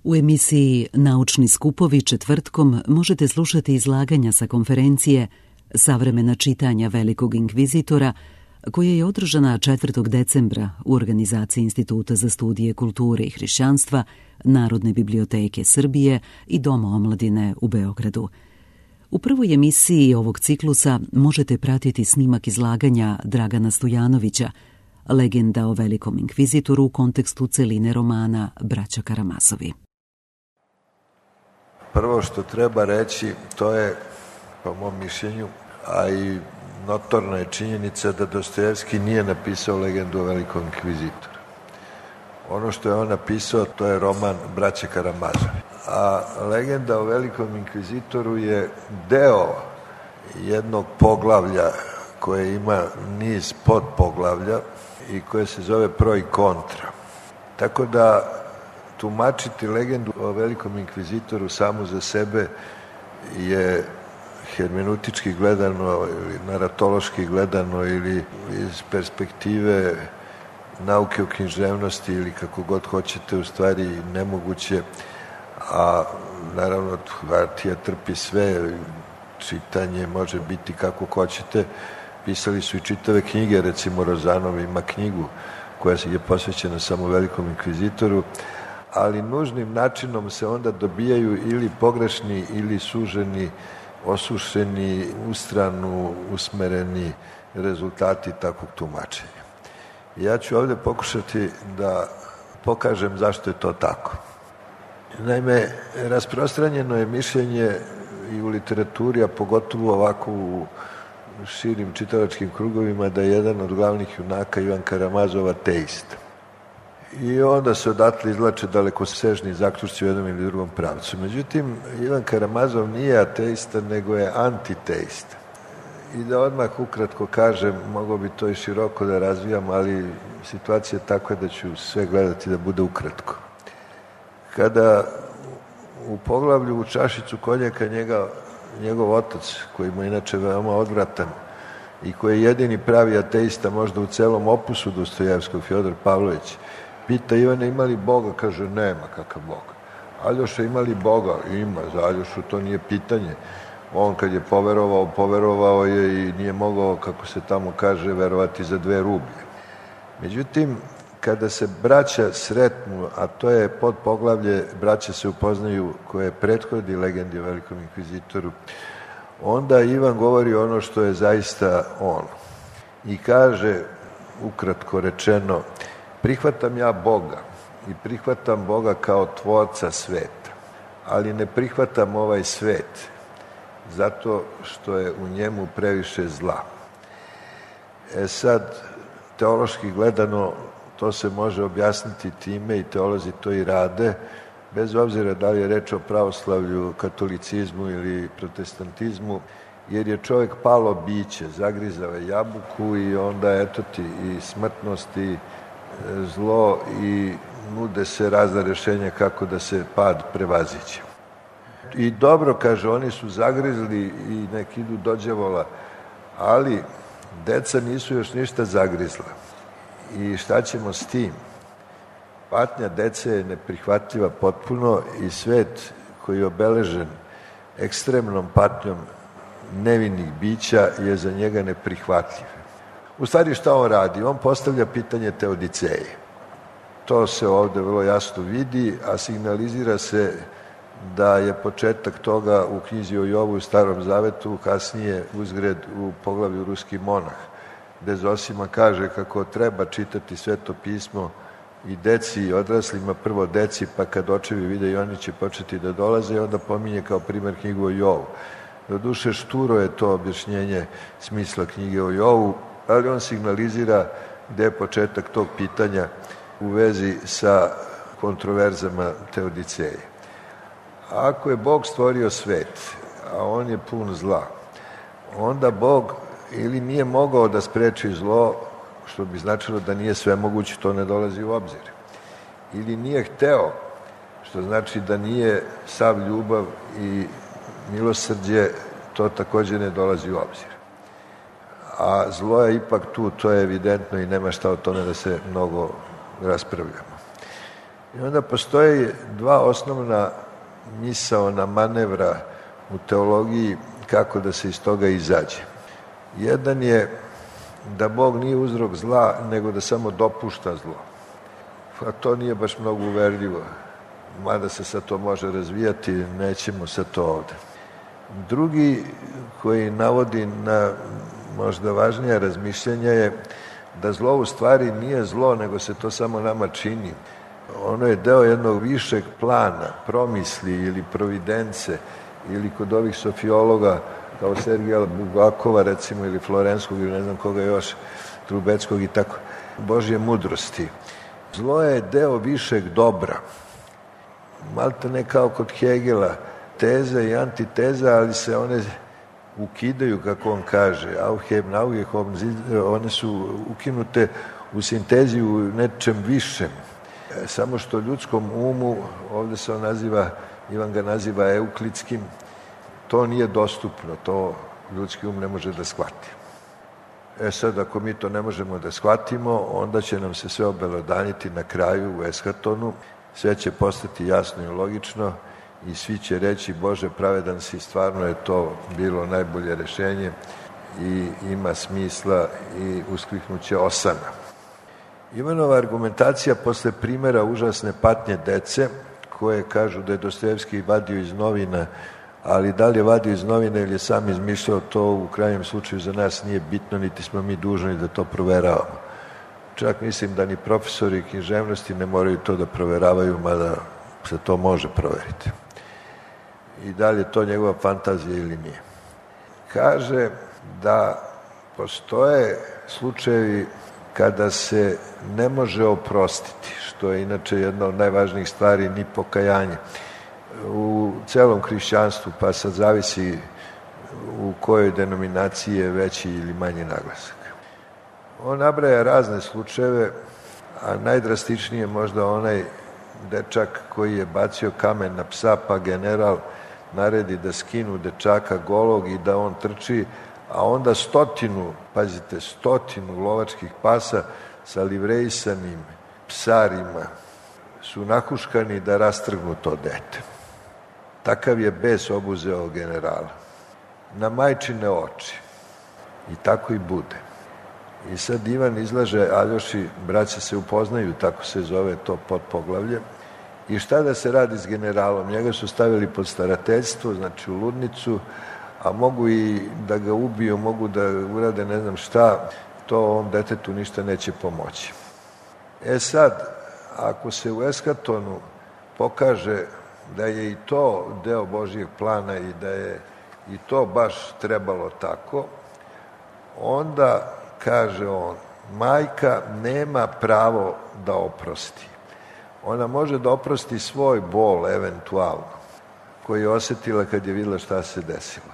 U emisiji Naučni skupovi četvrtkom možete slušati izlaganja sa konferencije Savremena čitanja Velikog inkvizitora, koja je održana 4. decembra u organizaciji Instituta za studije kulture i hrišćanstva, Narodne biblioteke Srbije i Doma omladine u Beogradu. U prvoj emisiji ovog ciklusa možete pratiti snimak izlaganja Dragana Stojanovića, legenda o Velikom inkvizitoru u kontekstu celine romana Braća Karamazovi. Prvo što treba reći, to je, po mom mišljenju, a i notorna je činjenica da Dostojevski nije napisao legendu o Velikom inkvizitoru. Ono što je on napisao, to je roman Braće Karamazovi. A legenda o Velikom inkvizitoru je deo jednog poglavlja koje ima niz podpoglavlja i koje se zove pro i kontra. Tako da tumačiti legendu o Velikom inkvizitoru samu za sebe je hermeneutički gledano ili naratološki gledano ili iz perspektive nauke o književnosti ili kako god hoćete, u stvari nemoguće, a naravno Hartija trpi sve, čitanje može biti kako hoćete. Pisali su i čitave knjige, recimo Rozanov ima knjigu koja je posvećena samo Velikom inkvizitoru, ali nužnim načinom se onda dobijaju ili pogrešni ili suženi, osušeni, ustranu, usmereni rezultati takvog tumačenja. Ja ću ovdje pokušati da pokažem zašto je to tako. Naime, rasprostranjeno je mišljenje i u literaturi, a pogotovo ovako u širim čitalačkim krugovima, da je jedan od glavnih junaka Ivan Karamazov ateista. I onda se odatle izvlače dalekosežni zaključci u jednom ili drugom pravcu. Međutim, Ivan Karamazov nije ateista, nego je antiteista. I da odmah ukratko kažem, mogo bi to i široko da razvijam, ali situacija je takva da ću sve gledati da bude ukratko. Kada u poglavlju u čašicu konjaka njegov otac, koji mu je inače veoma odvratan i koji je jedini pravi ateista možda u celom opusu Dostojevskog, Fjodor Pavlović, pita Ivana ima li Boga, kaže nema, kakav Bog. Aljoša ima li Boga? Ima, za Aljošu to nije pitanje. On kad je poverovao je i nije mogao, kako se tamo kaže, verovati za 2 rublje. Međutim, kada se braća sretnu, a to je podpoglavlje braća se upoznaju koje prethodi legendi o Velikom inkvizitoru, onda Ivan govori ono što je zaista on. I kaže, ukratko rečeno, prihvatam ja Boga i prihvatam Boga kao tvorca sveta, ali ne prihvatam ovaj svet zato što je u njemu previše zla. Sad, teološki gledano, to se može objasniti time i teolozi to i rade, bez obzira da li je reč o pravoslavlju, katolicizmu ili protestantizmu, jer je čovjek palo biće, zagrizao je jabuku i onda eto ti i smrtnost i zlo i nude se razna rješenja kako da se pad prevaziće. I dobro, kaže, oni su zagrizli i nek idu do đavola, ali deca nisu još ništa zagrizla. I šta ćemo s tim? Patnja dece je neprihvatljiva potpuno i svet koji je obeležen ekstremnom patnjom nevinih bića je za njega neprihvatljiv. U stvari šta on radi? On postavlja pitanje teodiceje. To se ovdje vrlo jasno vidi, a signalizira se da je početak toga u knjizi o Jovu u Starom Zavetu, kasnije uzgred u poglavlju Ruski monah, gde Zosima kaže kako treba čitati Sveto pismo i deci i odraslima, prvo deci, pa kad očevi vide i oni će početi da dolaze, i onda pominje kao primjer knjigu o Jovu. Doduše šturo je to objašnjenje smisla knjige o Jovu, ali on signalizira gde je početak tog pitanja u vezi sa kontroverzama teodiceje. Ako je Bog stvorio svet, a on je pun zla, onda Bog ili nije mogao da spreči zlo, što bi značilo da nije svemoguć, to ne dolazi u obzir. Ili nije hteo, što znači da nije sav ljubav i milosrđe, to također ne dolazi u obzir. A zlo je ipak tu, to je evidentno i nema šta o tome da se mnogo raspravljamo. I onda postoje dva osnovna misaona manevra u teologiji kako da se iz toga izađe. Jedan je da Bog nije uzrok zla, nego da samo dopušta zlo. A to nije baš mnogo uverljivo. Mada se sad to može razvijati, nećemo sad to ovde. Drugi koji navodi na možda važnije razmišljanja je da zlo u stvari nije zlo, nego se to samo nama čini. Ono je deo jednog višeg plana, promisli ili providence, ili kod ovih sofiologa kao Sergija Bulgakova recimo, ili Florenskog, ili ne znam koga još, Trubeckog i tako, Božje mudrosti. Zlo je deo višeg dobra. Malta ne kao kod Hegela, teza i antiteza, ali se one ukidaju, kako on kaže, one su ukinute u sintezi u nečem višem. Samo što ljudskom umu, ovde se on naziva, Ivan ga naziva euklidskim, to nije dostupno, to ljudski um ne može da shvati. Sad, ako mi to ne možemo da shvatimo, onda će nam se sve obelodaniti na kraju u eshatonu, sve će postati jasno i logično i svi će reći, Bože, pravedan si, stvarno je to bilo najbolje rešenje i ima smisla i uskliknuće osana. Ivanova argumentacija posle primjera užasne patnje dece, koje kažu da je Dostojevski vadio iz novina, ali da li je vadio iz novina ili je sam izmišljao, to u krajnjem slučaju za nas nije bitno, niti smo mi dužni da to proveravamo. Čak mislim da ni profesori književnosti ne moraju to da proveravaju, mada se to može proveriti. I da li je to njegova fantazija ili nije. Kaže da postoje slučajevi kada se ne može oprostiti, što je inače jedna od najvažnijih stvari, ni pokajanje. U celom hrišćanstvu, pa sad zavisi u kojoj denominaciji je veći ili manji naglasak. On nabraja razne slučajeve, a najdrastičnije je možda onaj dečak koji je bacio kamen na psa, pa general naredi da skinu dečaka golog i da on trči, a onda 100 lovačkih pasa sa livrejisanim psarima su nahuškani da rastrgnu to dete. Takav je bes obuzeo generala. Na majčine oči. I tako i bude. I sad Ivan izlaže Aljoši, braća se upoznaju, tako se zove to podpoglavlje. I šta da se radi s generalom? Njega su stavili pod starateljstvo, znači u ludnicu, a mogu i da ga ubiju, mogu da urade ne znam šta, to ovom detetu ništa neće pomoći. Sad, ako se u eskatonu pokaže da je i to deo Božijeg plana i da je i to baš trebalo tako, onda, kaže on, majka nema pravo da oprosti. Ona može da oprosti svoj bol, eventualno, koji je osetila kad je videla šta se desilo.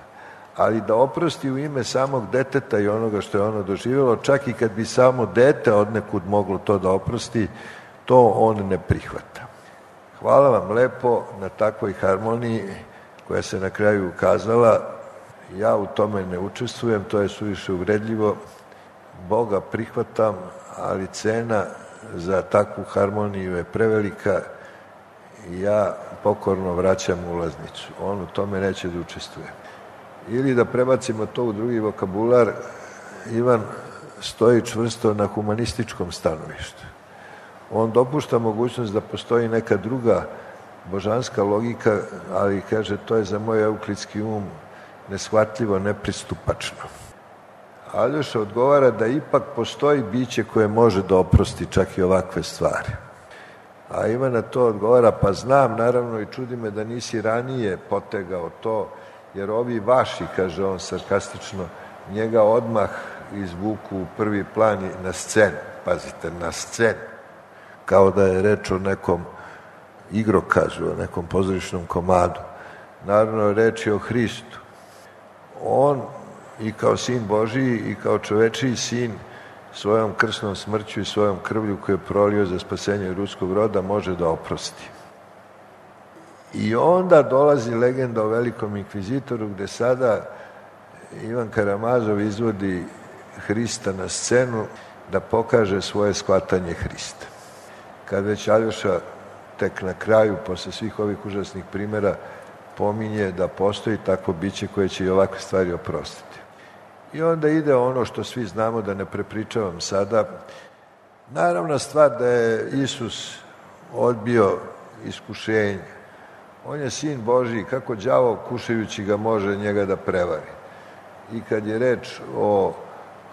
Ali da oprosti u ime samog deteta i onoga što je ono doživjelo, čak i kad bi samo dete odnekud moglo to da oprosti, to on ne prihvata. Hvala vam lepo na takvoj harmoniji koja se na kraju ukazala. Ja u tome ne učestvujem, to je suviše uvredljivo. Boga prihvatam, ali cena za takvu harmoniju je prevelika i ja pokorno vraćam ulaznicu. On u tome neće da učestvuje. Ili da prebacimo to u drugi vokabular, Ivan stoji čvrsto na humanističkom stanovištu. On dopušta mogućnost da postoji neka druga božanska logika, ali kaže to je za moj euklidski um neshvatljivo, nepristupačno. Aljoša odgovara da ipak postoji biće koje može da oprosti čak i ovakve stvari. A Ivan na to odgovara, pa znam, naravno, i čudi me da nisi ranije potegao to, jer ovi vaši, kaže on sarkastično, njega odmah izvuku u prvi plan i na scenu. Pazite, na scenu. Kao da je reč o nekom igrokazu, o nekom pozorišnom komadu. Naravno, reč je o Hristu. On i kao sin Božiji i kao čovečiji sin svojom krsnom smrću i svojom krvlju koju je prolio za spasenje ljudskog roda može da oprosti. I onda dolazi legenda o velikom inkvizitoru gde sada Ivan Karamazov izvodi Hrista na scenu da pokaže svoje shvatanje Hrista. Kad već Aljoša tek na kraju, posle svih ovih užasnih primjera, pominje da postoji takvo biće koje će i ovakve stvari oprostiti. I onda ide ono što svi znamo, da ne prepričavam sada. Naravna stvar da je Isus odbio iskušenje. On je sin Božji, kako đavo kušajući ga može njega da prevari. I kad je reč o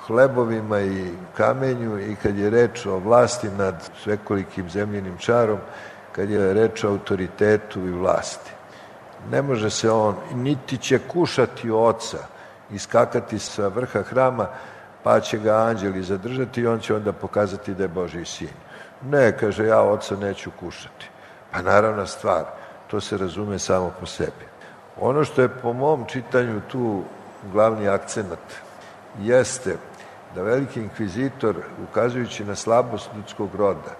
hlebovima i kamenju, i kad je reč o vlasti nad svekolikim zemljinim čarom, kad je reč o autoritetu i vlasti. Ne može se on, niti će kušati oca, iskakati sa vrha hrama, pa će ga anđeli zadržati i on će onda pokazati da je Božji sin. Ne, kaže, ja oca neću kušati. Pa naravna stvar, to se razume samo po sebi. Ono što je po mom čitanju tu glavni akcenat jeste da veliki inkvizitor, ukazujući na slabost ljudskog roda,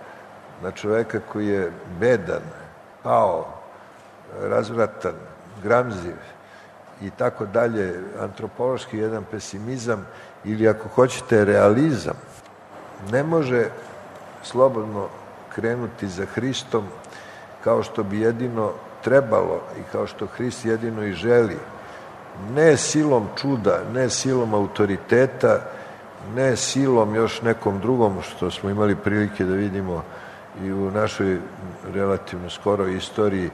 na čoveka koji je bedan, pao, razvratan, gramziv i tako dalje, antropološki jedan pesimizam ili ako hoćete realizam, ne može slobodno krenuti za Hristom kao što bi jedino trebalo i kao što Hrist jedino i želi. Ne silom čuda, ne silom autoriteta, ne silom još nekom drugom što smo imali prilike da vidimo i u našoj relativno skoroj istoriji,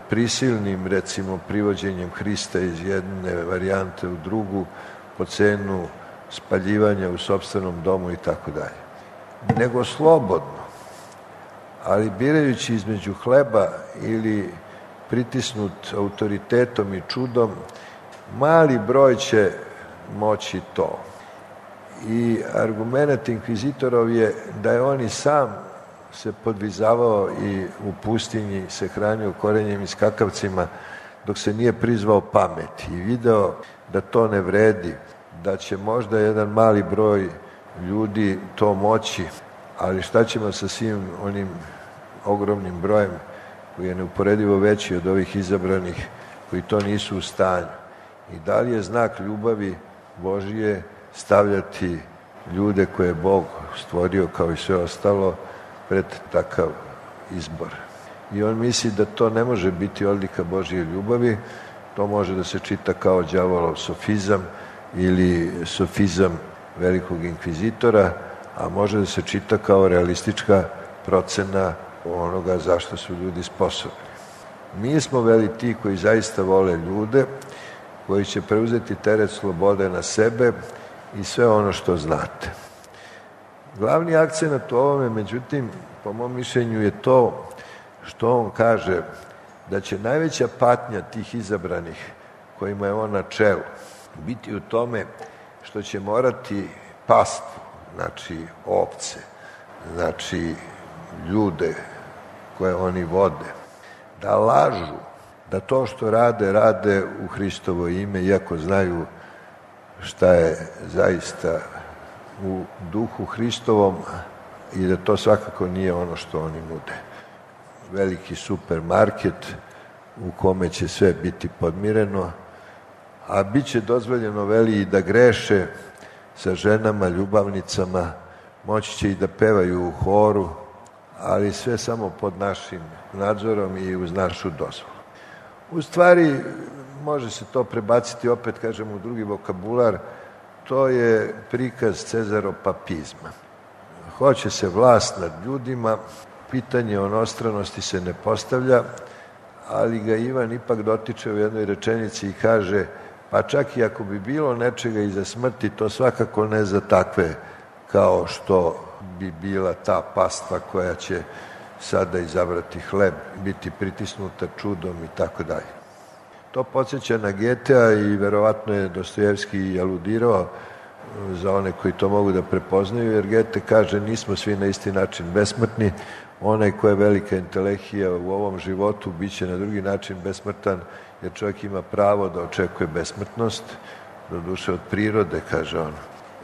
prisilnim, recimo, privođenjem Hrista iz jedne varijante u drugu po cenu spaljivanja u sopstvenom domu i tako dalje. Nego slobodno, ali birajući između hleba ili pritisnut autoritetom i čudom, mali broj će moći to. I argument inkvizitorov je da je on i sam se podvizavao i u pustinji se hranio korenjem i skakavcima dok se nije prizvao pameti i video da to ne vredi, da će možda jedan mali broj ljudi to moći, ali šta ćemo sa svim onim ogromnim brojem koji je neuporedivo veći od ovih izabranih koji to nisu u stanju. I da li je znak ljubavi Božije stavljati ljude koje je Bog stvorio kao i sve ostalo pred takav izbor. I on misli da to ne može biti odlika Božje ljubavi, to može da se čita kao đavolov sofizam ili sofizam velikog inkvizitora, a može da se čita kao realistička procena onoga zašto su ljudi sposobni. Mi smo veli ti koji zaista vole ljude, koji će preuzeti teret slobode na sebe i sve ono što znate. Glavni akcenat u ovome, međutim, po mom mišljenju je to što on kaže da će najveća patnja tih izabranih kojima je on na čelu biti u tome što će morati pastvu, znači ovce, znači ljude koje oni vode, da lažu, da to što rade u Hristovo ime, iako znaju šta je zaista u duhu Hristovom i da to svakako nije ono što oni nude. Veliki supermarket u kome će sve biti podmireno, a bit će dozvoljeno, veli, i da greše sa ženama, ljubavnicama, moći će i da pevaju u horu, ali sve samo pod našim nadzorom i uz našu dozvolu. U stvari, može se to prebaciti, opet kažem, u drugi vokabular, to je prikaz cezaropapizma. Hoće se vlast nad ljudima, pitanje onostranosti se ne postavlja, ali ga Ivan ipak dotiče u jednoj rečenici i kaže, pa čak i ako bi bilo nečega iza smrti, to svakako ne za takve kao što bi bila ta pastva koja će sada izabrati hleb, biti pritisnuta čudom i tako dalje. To podsjeća na Getea i verovatno je Dostojevski aludirao za one koji to mogu da prepoznaju, jer Gete kaže nismo svi na isti način besmrtni, onaj ko je velika intelehija u ovom životu biće na drugi način besmrtan, jer čovjek ima pravo da očekuje besmrtnost, do duše od prirode, kaže on,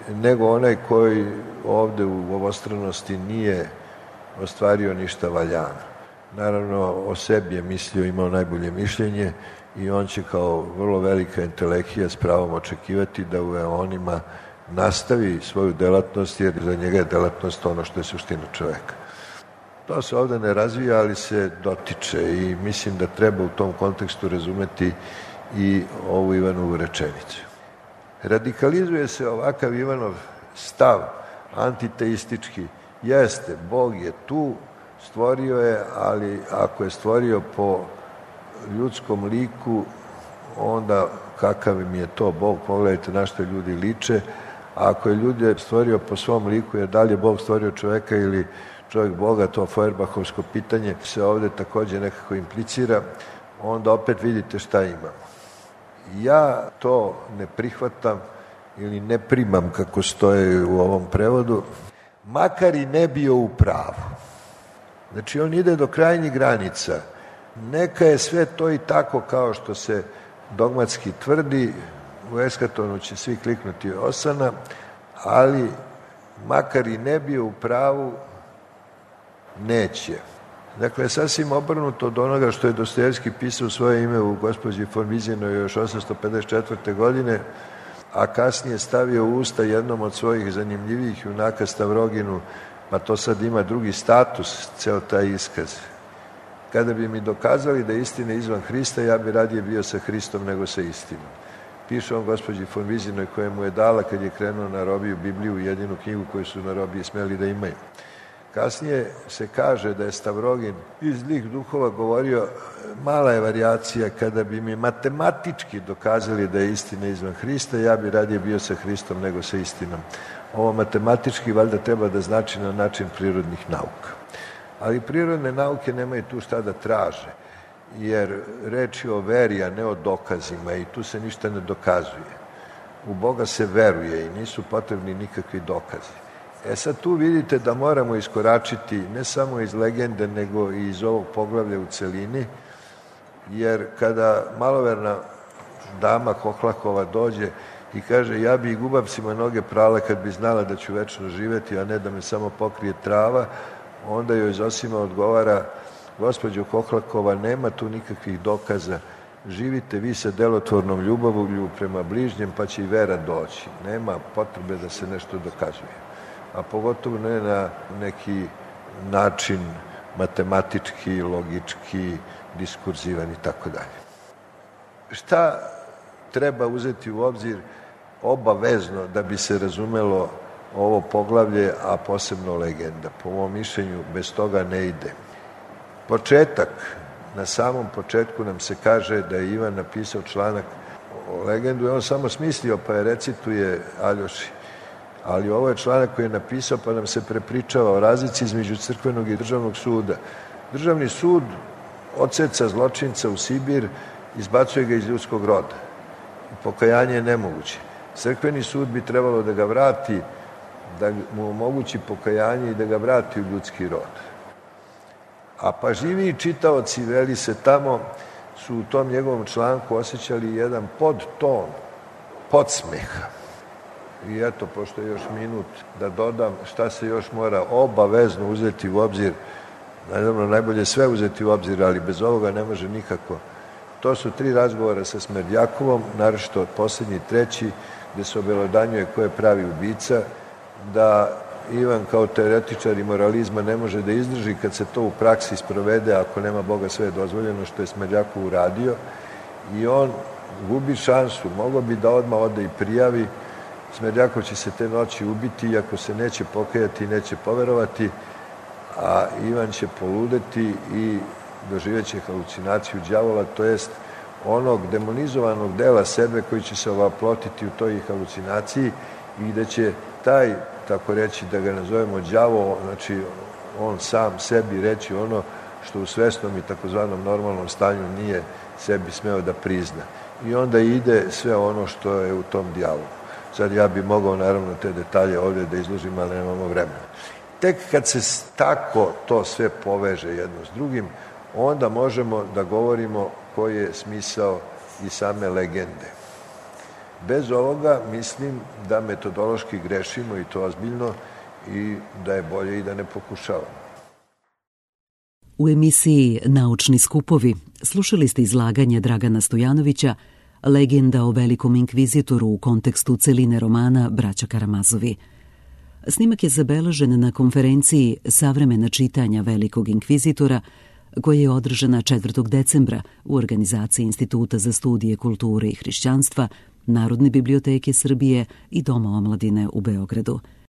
nego onaj koji ovde u ovostranosti nije ostvario ništa valjano. Naravno, o sebi je mislio, imao najbolje mišljenje i on će kao vrlo velika intelehija s pravom očekivati da u eonima nastavi svoju delatnost, jer za njega je delatnost ono što je suština čoveka. To se ovde ne razvija, ali se dotiče i mislim da treba u tom kontekstu razumeti i ovu Ivanovu rečenicu. Radikalizuje se ovakav Ivanov stav antiteistički. Jeste, Bog je tu, stvorio je, ali ako je stvorio po ljudskom liku, onda kakav im je to Bog, pogledajte na što ljudi liče. A ako je ljude stvorio po svom liku, jer da li je Bog stvorio čoveka ili čovjek Boga, to Feuerbahovsko pitanje se ovde takođe nekako implicira, onda opet vidite šta imamo. Ja to ne prihvatam ili ne primam kako stoje u ovom prevodu, makar i ne bio u pravu. Znači on ide do krajnjih granica. Neka je sve to i tako kao što se dogmatski tvrdi, u eskatonu će svi kliknuti osana, ali makar i ne bio u pravu, neće. Dakle, sasvim obrnuto od onoga što je Dostojevski pisao svoje ime u Gospođi von Vizinoj još 854. godine, a kasnije stavio u usta jednom od svojih zanimljivijih junaka Stavroginu, pa to sad ima drugi status, ceo taj iskaz. Kada bi mi dokazali da je istina izvan Hrista, ja bi radije bio sa Hristom nego sa istinom. Piše on Gospođi von Vizinoj koja mu je dala kad je krenuo na robiju Bibliju, jedinu knjigu koju su na robiji smeli da imaju. Kasnije se kaže da je Stavrogin iz zlih duhova govorio, mala je varijacija, kada bi mi matematički dokazali da je istina izvan Hrista, ja bi radije bio sa Hristom nego sa istinom. Ovo matematički valjda treba da znači na način prirodnih nauka. Ali prirodne nauke nemaju tu šta da traže, jer reč je o veri, a ne o dokazima i tu se ništa ne dokazuje. U Boga se veruje i nisu potrebni nikakvi dokazi. Sad tu vidite da moramo iskoračiti ne samo iz legende, nego i iz ovog poglavlja u celini, jer kada maloverna dama Hohlakova dođe i kaže ja bi i gubavcima noge prala kad bi znala da ću večno živeti, a ne da me samo pokrije trava, onda joj Zosima odgovara, gospođo Hohlakova, nema tu nikakvih dokaza, živite vi sa delotvornom ljubavlju prema bližnjem, pa će i vera doći. Nema potrebe da se nešto dokazuje. A pogotovo ne na neki način matematički, logički, diskurzivan i tako dalje. Šta treba uzeti u obzir obavezno da bi se razumelo ovo poglavlje, a posebno legenda? Po mom mišljenju, bez toga ne ide. Početak, na samom početku nam se kaže da je Ivan napisao članak o legendu i on samo smislio pa je recituje Aljoši. Ali ovo je članak koji je napisao pa nam se prepričava o razlici između crkvenog i državnog suda. Državni sud odseca zločinca u Sibir, izbacuje ga iz ljudskog roda. Pokajanje je nemoguće. Crkveni sud bi trebalo da ga vrati, da mu omogući pokajanje i da ga vrati u ljudski rod. A pažljiviji čitaoci, veli se tamo, su u tom njegovom članku osjećali jedan podton, podsmeha. I eto, pošto je još minut, da dodam šta se još mora obavezno uzeti u obzir. Naravno, najbolje sve uzeti u obzir, ali bez ovoga ne može nikako. To su 3 razgovora sa Smerdjakovom, naročito poslednji 3, gde se obelodanjuje ko je pravi ubica, da Ivan kao teoretičar i moralizma ne može da izdrži kad se to u praksi sprovede, ako nema Boga sve je dozvoljeno, što je Smerdjakov uradio, i on gubi šansu, mogao bi da odmah ode i prijavi, Smerdjakov će se te noći ubiti, iako se neće pokajati i neće poverovati, a Ivan će poludeti i doživeće halucinaciju đavola, to jest onog demonizovanog dela sebe koji će se ovaplotiti u toj halucinaciji i gde će taj, tako reći, da ga nazovemo đavo, znači on sam sebi reći ono što u svesnom i takozvanom normalnom stanju nije sebi smeo da prizna. I onda ide sve ono što je u tom dijalogu. Sad ja bi mogao naravno te detalje ovdje da izložim, ali nemamo vremena. Tek kad se tako to sve poveže jedno s drugim, onda možemo da govorimo koji je smisao i same legende. Bez ovoga mislim da metodološki grešimo i to ozbiljno i da je bolje i da ne pokušavamo. U emisiji Naučni skupovi slušali ste izlaganje Dragana Stojanovića Legenda o velikom inkvizitoru u kontekstu celine romana Braća Karamazovi. Snimak je zabeležen na konferenciji Savremena čitanja velikog inkvizitora, koja je održana 4. decembra u organizaciji Instituta za studije kulture i hrišćanstva, Narodne biblioteke Srbije i Doma omladine u Beogradu.